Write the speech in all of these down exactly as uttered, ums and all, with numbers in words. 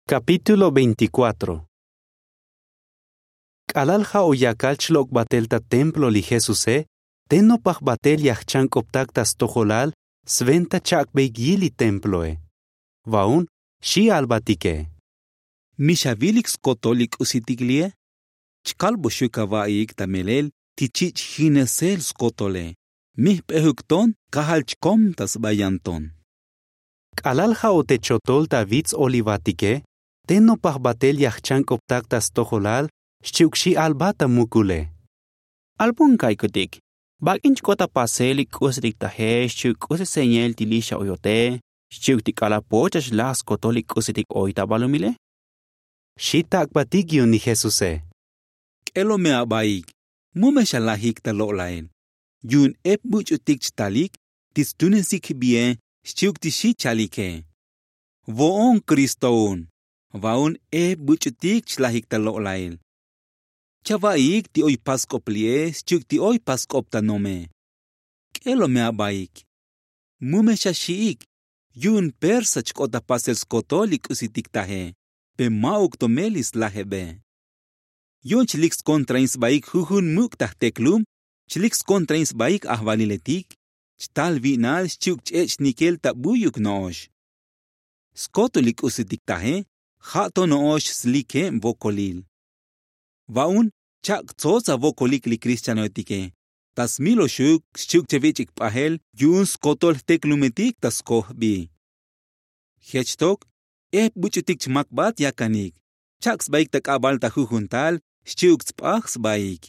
Kapítulo veinticuatro. K'alal ja' o yakal chlok' batel ta templo li jesuse, te nopaj batel ya jchank'optak ta stojolal sventa chak'beik yil li temploe. Va'un xi albatike. Mi xavilik skotol li k'usitik li'e? Chkalboxuk ava'iik ta melel ti chich' jinesel skotole. Mi jp'ejuk ton kajal chkom ta sba yan ton. K'alal ja' o te chotol ta vits olivatike, te nopaj batel ya jchank'optak ta stojolal xchi'uk xi albat ta mukule. Albun ka'ikutik? Bak'in chk'ot ta pasel li k'usitik taje xchi'uk k'usi señail ti li' xa oyote xchi'uk ti k'alal poch xa xlaj skotol li k'usitik oy ta balumile? Xi tak'batik yu'un li jesuse. K'elo me abaik. Mu me xalajik ta lo'lail. Yu'un ep buch'utik chtalik ti stunesik jbie xchi'uk ti xi chalike. Vo'on kristo un. Va'un ep buch'utik chlajik ta lo'lail. Chava'iik ti oy pask'op li'e xchi'uk ti oy pask'op ta nome. K'elo me abaik. Mu me xaxi'ik. Yu'un persa chk'ot ta pasel skotol li k'usitik taje, pe ma'uk to me li slajebe. Yu'un chlik skontrain sbaik jujun muk' ta jteklum. Chlik skontrain sbaik ajvaliletik. Chtal vi'nal xchi'uk ch-ech' nikel ta buyuk no'ox. Skotol li k'usitik taje ja' to no'ox slikeb vokolil. Va'un chak' tsots avokolik li kristianoetike. Ta smiloxuk xchi'uk che vich'ik p'ajel yu'un skotol jteklumetik ta skoj jbi. Jech tok ep buch'utik chmakbat yakanik. Chak' sbaik ta k'abal ta jujun tal xchi'uk tsp'aj sbaik.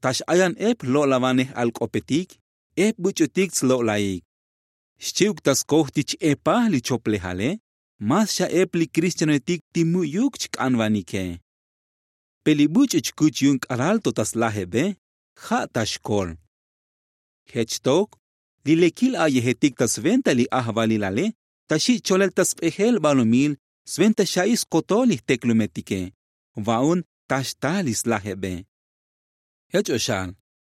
Ta x'ayan ep jlo'lavanej alk'opetik ep buch'utik tslo'laik. Xchi'uk ta skoj ti ch-epaj li choplejale mas xa ep li kristianoetik ti mu'yuk chk'anvanike. Pe li buch'u chkuch yu'un k'alal to ta slajebe ja' ta xkol. Jech tok li lekil a'yejetik ta sventa li ajvalilale ta xi' cholel ta sp'ejel balumil sventa xa'i skotol li jteklumetike. Va'un ta xtal li slajebe. Jech o xal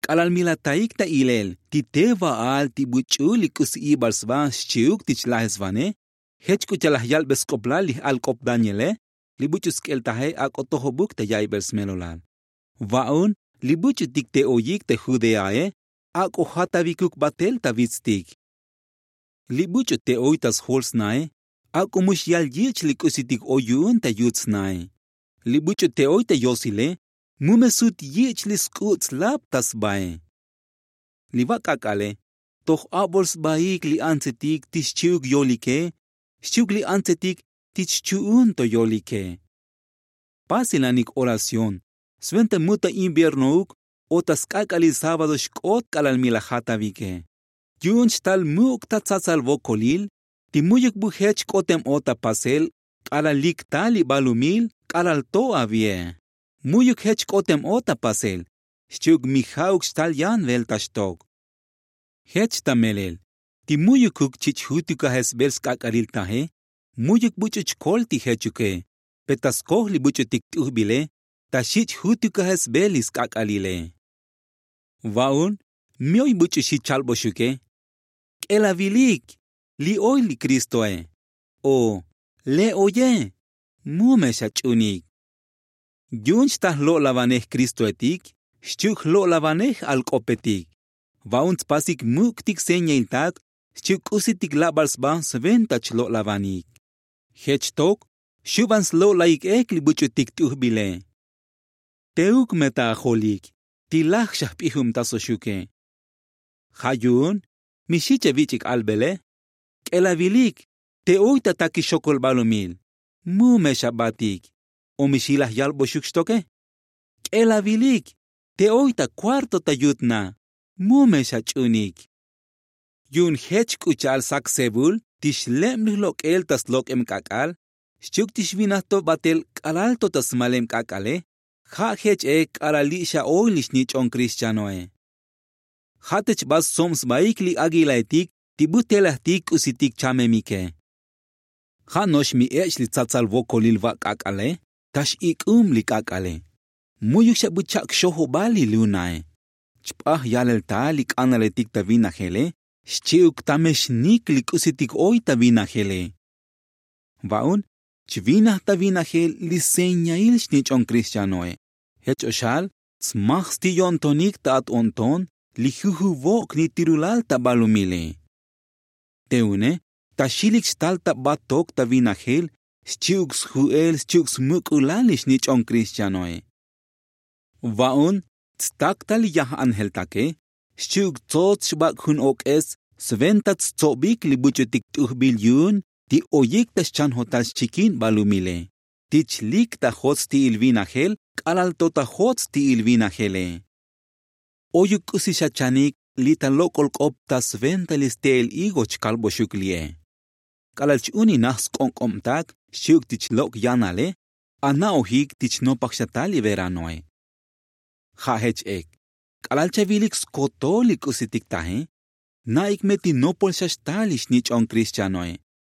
k'alal mi lataik ta ilel ti te va'al ti buch'u li k'usi ibal sba xchi'uk ti chlajesvane. Jech k'u cha'al laj yalbe sk'oplal li j'alk'op daniele li buch'u sk'el taje ak'o tojobuk ta ya'ibel smelolal. Va'un li buch'utik te oyik te judeae ak'o jatavikuk batel ta vitstik. Li buch'u te oy ta sjol snae ak'o mu xyal yich' li k'usitik oy yu'un ta yut snae. Li buch'u te oy ta yosile mu me sut yich' li sk'u' tslab ta sbae. Li va' k'ak'ale toj abol sbaik li antsetik ti xchi'uk yolike xchi'uk li antsetik ti chchu'un to yolike. Pasilanik oración sventa mu ta inviernouk o ta sk'ak'alil sábado xk'ot k'alal mi laj jatavike. Yu'un chtal muk' ta tsatsal vokolil ti mu'yuk bu jech k'otem o ta pasel k'alal lik tal li balumil k'alal to avie. Mu'yuk jech k'otem o ta pasel xchi'uk mi ja'uk chtal yan velta xtok. Jech ta melel ti mu'yukuk chich' jutukajesbel sk'ak'alil taje mu'yuk buch'u chkol ti jechuke. Pe ta skoj li buch'utik t'ujbile ta xich' jutukajesbel li sk'ak'alile. Va'un mi oy buch'u xi chalboxuke. K'elavilik li oy li kristoe o le' oye. Mu me xach'unik. Yu'un chta jlo'lavanej kristoetik xchi'uk jlo'lavanej alk'opetik. Va'un tspasik muk'tik señailtak xchi'uk k'usitik labal sba sventa chlo'lavanik. Jech tok xuban slo'laik ek li buch'utik t'ujbile. Teuk me ta ajolik ti laj xa jp'ijubtasoxuke. Ja' yu'un mi xi che vich'ik albele. K'elavilik te oy ta takix xokol balumil. Mu me xabatik. O mi xi laj yalboxuk xtoke. K'elavilik te oy ta kuarto ta yut na. Mu me xach'unik. Yu'un jech k'u cha'al sak sebul ti xleb li jlok'el ta slok'eb k'ak'al xchi'uk ti xvinaj to batel k'alal to ta smaleb k'ak'ale. Ja' jech ek k'alal li' xa oy li xnich'on kristianoe. Ja' te chba stsob sbaik li aguilaetik ti bu telajtik k'usitik chamemike. Ja' no'ox mi ech' li tsatsal vokolil va' k'ak'ale ta x'ik'ub li k'ak'ale. Mu'yuk xa bu chak' xojobal li lunae. Chp'aj yalel ta li k'analetik ta vinajele xchi'uk ta me xnik li k'usitik oy ta vinajele. Va'un Chvinaj ta vinajel li señail xnich'on krixtianoe. Jech o xal tsmaj sti' yo'ntonik ta at o'nton li jujuvok' ni tirulal ta balumile. Te une ta xilik xtal ta batok ta vinajel xchi'uk sju'el xchi'uk smuk'ulal li xnich'on krixtianoe. Va'un tstak ta li yaj anjeltake xchi'uk tsots xbak' jun ok'es sventa tstsobik li buch'utik t'ujbil yu'un ti oyik ta xchanjotal xchikin balumile ti chlik ta jot sti'il vinajel k'alal to ta jot sti'il vinajele. Oyuk k'usi xa chanik li ta lok'ol k'op ta sventa li ste'el higo chkalboxuk li'e. K'alal ch-uninaj sk'onk'obtak xchi'uk ti chlok' yanale ana'ojik ti chnopaj xa tal li veranoe. Ja' jech ek k'alal chavilik skotol li k'usitik taje na'ik me ti nopol xa xtal li xnich'on krixtianoe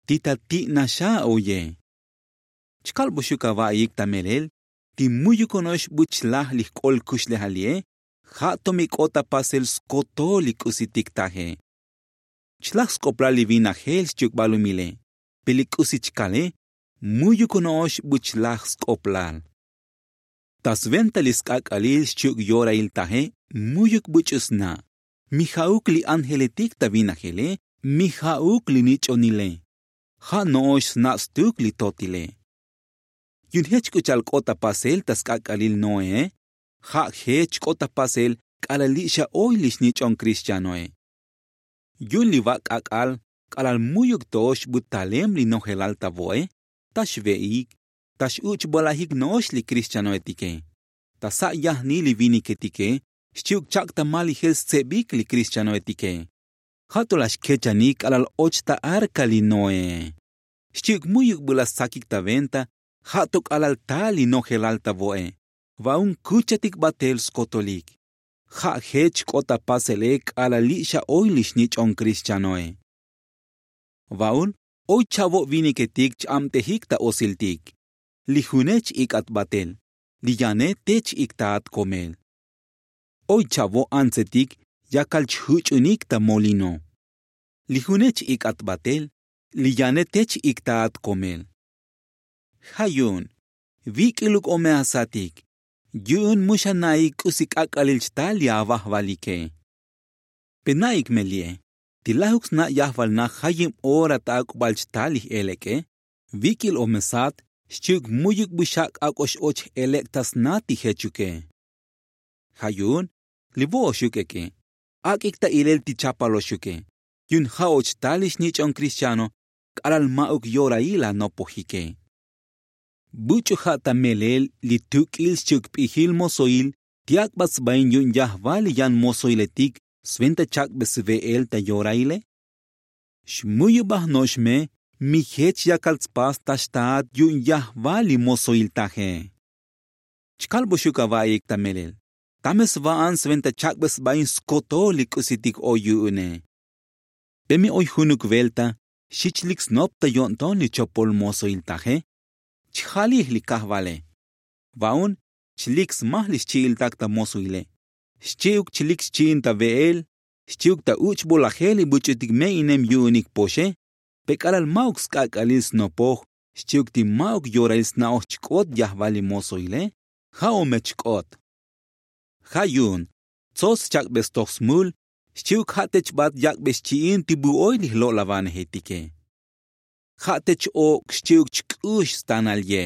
ti ta ti'naxa oye. Chkalboxuk ava'iyik ta melel ti mu'yuk ono'ox buch laj li jk'ol kuxlejal li'e ja' to mi k'ot ta pasel skotol li k'usitik taje. Chlaj sk'oplal li vinajel xchi'uk balumile pe li k'usi chkale mu'yuk ono'ox buch laj sk'oplal. Ta sventa li sk'ak'alil xchi'uk yorail taje mu'yuk buch'u sna'. Mi ja'uk li ángeletik ta vinajele mi ja'uk li nich'onile. Ja' no'ox sna' stuk li totile. Yu'un jech k'u cha'al k'ot ta pasel ta sk'ak'alil noee ja' jech k'ot ta pasel k'alal li' xa oy li xnich'on krixtianoe. Yu'un li vak' k'ak'al k'alal mu'yuk to'ox bu talem li nojelal ta vo'e ta xve'ik ta x'uch'bolajik no'ox li krixtianoetike. Ta sa' yajni li viniketike xchi'uk chak' ta malijel stsebik li krixtianoetike. Ja' to la xkechanik k'alal och ta arka li noee. Xchi'uk mu'yuk bu la stsakik ta venta ja' to k'alal tal li nojelal ta vo'e. Va'un kuchatik batel skotolik. Ja' jech k'ot ta pasele k'alal li' xa oy li xnich'on krixtianoe. Va'un oy cha'vo' viniketik ch-abtejik ta osiltik. Li june ch-ik'at batel li yane te ch-iktaat komel. Oy cha'vo' antsetik yakal ch-juch'unik ta molino. Li june ch-ik'at batel li yane te ch-iktaat komel. Ja' yu'un vik'iluk o me asatik yu'un mu xa na'ik k'usi k'ak'alil chtal li avajvalike. Pe na'ik me li'e ti lajuk sna' yajval na jayib ora ta ak'ubal chtal li j'elek'e. Vik'il o me sat xchi'uk mu'yuk bu xak' ak'o x-och j'elek' ta sna ti jechuke. Ja' yu'un li vo'oxuk eke ak'ik ta ilel ti chapaloxuke. Yu'un ja' och tal li xnich'on krixtiano k'alal ma'uk yorail anopojike. Buch'u ja' ta melel li tuk'il xchi'uk p'ijil mosoil ti ak'bat sbain yu'un yajval li yan mosoiletik sventa chak'be sve'el ta yoraile. Xmuyubaj no'ox me mi jech yakal tspas ta xtaat yu'un yajval li mosoil taje. Chkalboxuk ava'iyik ta melel ta me sva'an sventa chak'be sbain skotol li k'usitik oy yu'une. Pe mi oy junuk velta xi chlik snop ta yo'nton li chopol mosoil taje. Chjalij li kajvale. Va'un chlik smaj li xchi'iltak ta mosoile. Xchi'uk chlik xchi'in ta ve'el xchi'uk ta uch'bolajel li buch'utik me'inem yu'unik poxe. Pe k'alal ma'uk sk'ak'alil snopoj xchi'uk ti ma'uk yorail sna'oj chk'ot yajval li mosoile. Ja' o me chk'ot. Ja' yu'un tsots chak'be stoj smul xchi'uk ja' te chbat yak'be xchi'in ti bu oy li jlo'lavanejetike. Ja' te ch-ok' xchi'uk chk'ux stanal ye.